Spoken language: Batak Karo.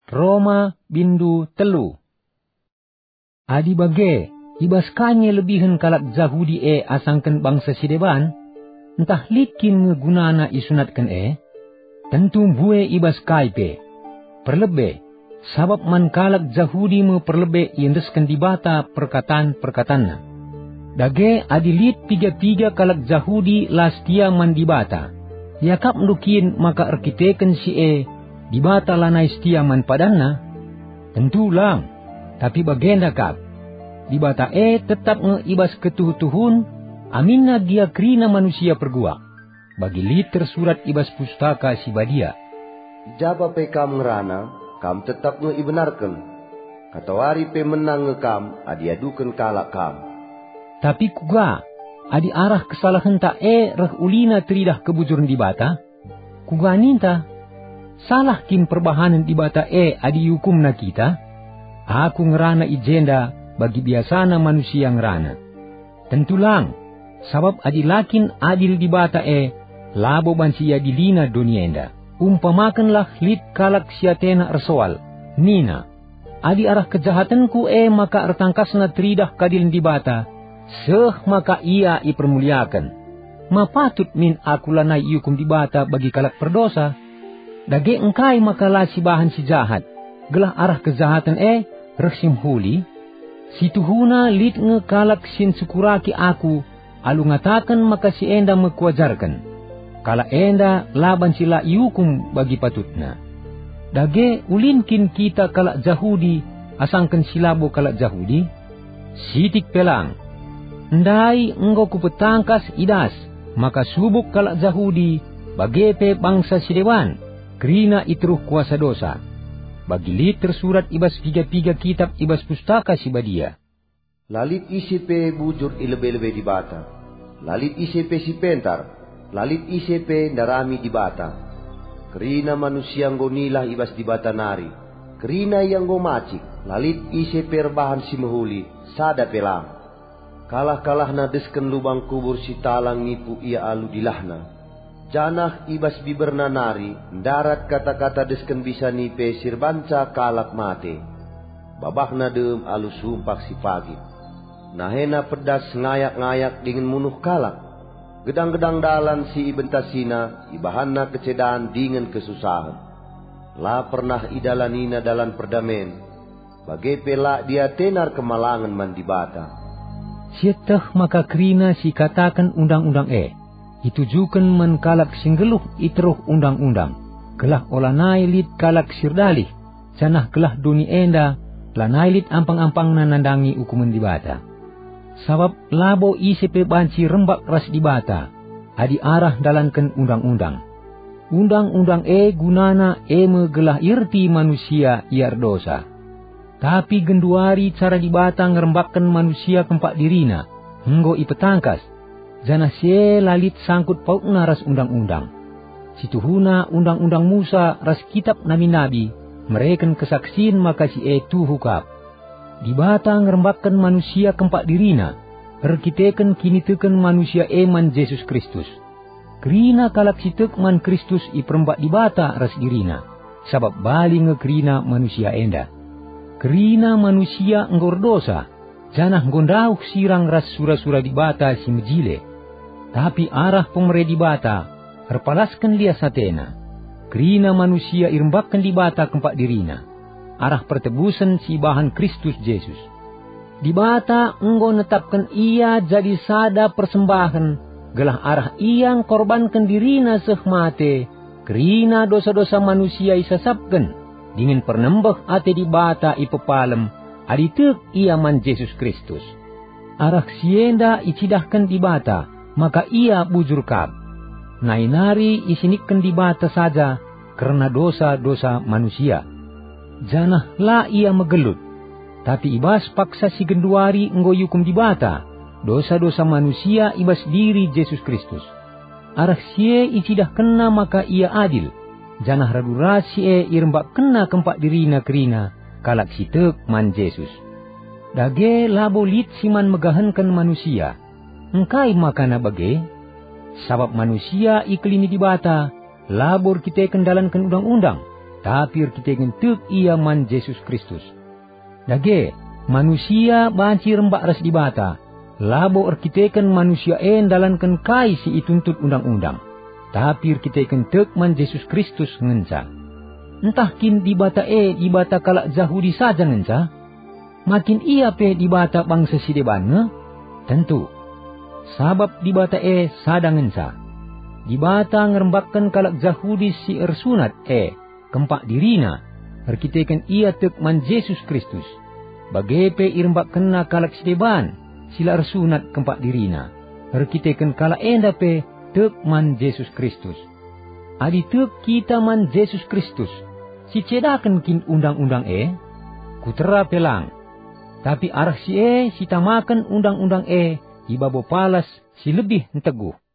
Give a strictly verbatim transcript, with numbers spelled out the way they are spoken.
Roma bindu telu. Adi bage, i bas kai nge lebihen kalak Jahudi e asangken bangsa si deban? Ntah lit kin nge gunana isunatken e? Tentu mbue i bas kai pe. Perlebe, sabap man kalak Jahudi me perlebe iendesken Dibata perkatan-perkatanNa. Dage adi lit piga-piga kalak Jahudi la setia man Dibata, iakapndu kin maka erkiteken si e Dibata lanai setia man padanNa? Tentu lang! Tapi bagenda kap, Dibata e tetap nge i bas ketuhu-tuhun, aminna gia kerina manusia perguak. Bagi lit tersurat i bas Pustaka Si Badia, "I ja pe kam ngerana, kam tetap nge ibenarken. Katawari pe menang nge kam adi iaduken kalak kam." Tapi kuga, adi arah kesalahenta e reh ulina teridah kebujuren Dibata? Kuga ninta? Salah kin perbahanen Dibata e adi iukumNa kita? Aku ngerana i jenda bagi biasana manusia ngerana. Tentu lang, sabap adi la kin adil Dibata e, labo banci iadiliNa doni enda. Umpamakenlah lit kalak si atena ersoal, nina, "Adi arah kejahatenku e maka ertangkasna teridah keadilen Dibata, seh maka ia ipermuliaken. Ma patut min aku lanai iukum Dibata bagi kalak perdosa? Dage engkai maka la sibahan si jahat, gelah arah kejahaten e reh si mehuli?" Si tuhuna lit nge kalak si ncukuraki aku alu ngataken maka si enda me kuajarken. Kalak enda la banci la iukum bagi patutna. Dage ulin kin kita kalak Jahudi asangken si labo kalak Jahudi? Sitik pe lang! Ndai enggo kupetangkas i das maka subuk kalak Jahudi, bage pe bangsa si deban, kerina i teruh kuasa dosa. Bagi lit tersurat i bas piga-piga kitap i bas Pustaka Si Badia, "La lit ise pe bujur i lebe-lebe Dibata. La lit ise pe si pentar. La lit ise pe ndarami Dibata. Kerina manusia enggo nilah i bas Dibata nari. Kerina ia enggo macik. La lit ise pe erbahan si mehuli, sada pe lang. Kalah-kalahna desken lubang kubur si talang nipu ia alu dilahna. Janah i bas biberna nari ndarat kata-kata desken bisa nipe si erbanca kalak mate. Babahna dem alu sumpah si pagit. Nahena pedas ngayak-ngayak dingen munuh kalak. Gedang-gedang dalan si ibentasina ibahanna kecedan dingen kesusahen. La pernah idalanina dalan perdamen, bage pe la diatena erkemalangen man Dibata." Sieteh maka kerina si ikataken Undang-undang e itujuken man kalak si nggeluh i teruh Undang-undang, gelah olanai lit kalak si erdalih, janah gelah doni enda lanai lit ampang-ampangna nandangi ukumen Dibata. Sabap labo ise pe banci rembak ras Dibata adi arah ndalanken Undang-undang. Undang-undang e gunana e me gelah ierti manusia ia erdosa. Tapi genduari cara Dibata ngerembakken manusia kempak diriNa enggo ipetangkas, janah si e la lit sangkut pautna ras Undang-undang. Si tuhuna Undang-undang Musa ras Kitap Nabi-nabi mereken kesaksin maka si e tuhu kap. Dibata ngerembakken manusia kempak diriNa erkiteken kiniteken manusia e man Jesus Kristus. Kerina kalak si tek man Kristus iperembak Dibata ras diriNa, sabap bali nge kerina manusia enda. Kerina manusia enggo erdosa, janah enggo ndauh sirang ras sura-sura Dibata si mejile. Tapi arah pemere Dibata erpalasken lias ateNa. Kerina manusia irembakken Dibata kempak diriNa, arah pertebusen si ibahan Kristus Jesus. Dibata enggo netapken Ia jadi sada persembahen, gelah arah Ia engkorbanken diriNa seh mate, kerina dosa-dosa manusia isasapken, dingen pernembeh ate Dibata ipepalem adi tek ia man Jesus Kristus. Arah si enda icidahken Dibata maka Ia bujur kap. Nai nari isinikken Dibata saja kerna dosa-dosa manusia. Janah la Ia megelut. Tapi i bas paksa si genduari enggo iukum Dibata dosa-dosa manusia i bas diri Jesus Kristus. Arah si e icidahkenNa maka Ia adil, janah radu ras si e irembakkenNa kempak diriNa kerina kalak si tek man Jesus. Dage labo lit si man megahenken manusia. Engkai makana bage? Sabap manusia ikelini Dibata labo erkiteken ndalanken Undang-undang, tapi erkiteken tek ia man Jesus Kristus. Dage, manusia banci rembak ras Dibata, labo erkiteken manusia e ndalanken kai si ituntut Undang-undang, tapi erkiteken tek man Jesus Kristus ngenca. Ntah kin Dibata e Dibata kalak Jahudi saja ngenca? Ma kin ia pe Dibata bangsa si deban nge? Tentu. Sabap Dibata e sada ngenca. Dibata ngerembakken kalak Jahudi si ersunat e kempak dirina, erkiteken ia tek man Jesus Kristus. Bage pe irembakkenna kalak si deban, si la ersunat kempak dirina, erkiteken kalak enda pe tek man Jesus Kristus. Adi tek kita man Jesus Kristus, sicedaken kin Undang-undang e? Kutera pe lang. Tapi arah si e sitamaken Undang-undang e i babo palas si lebih nteguh.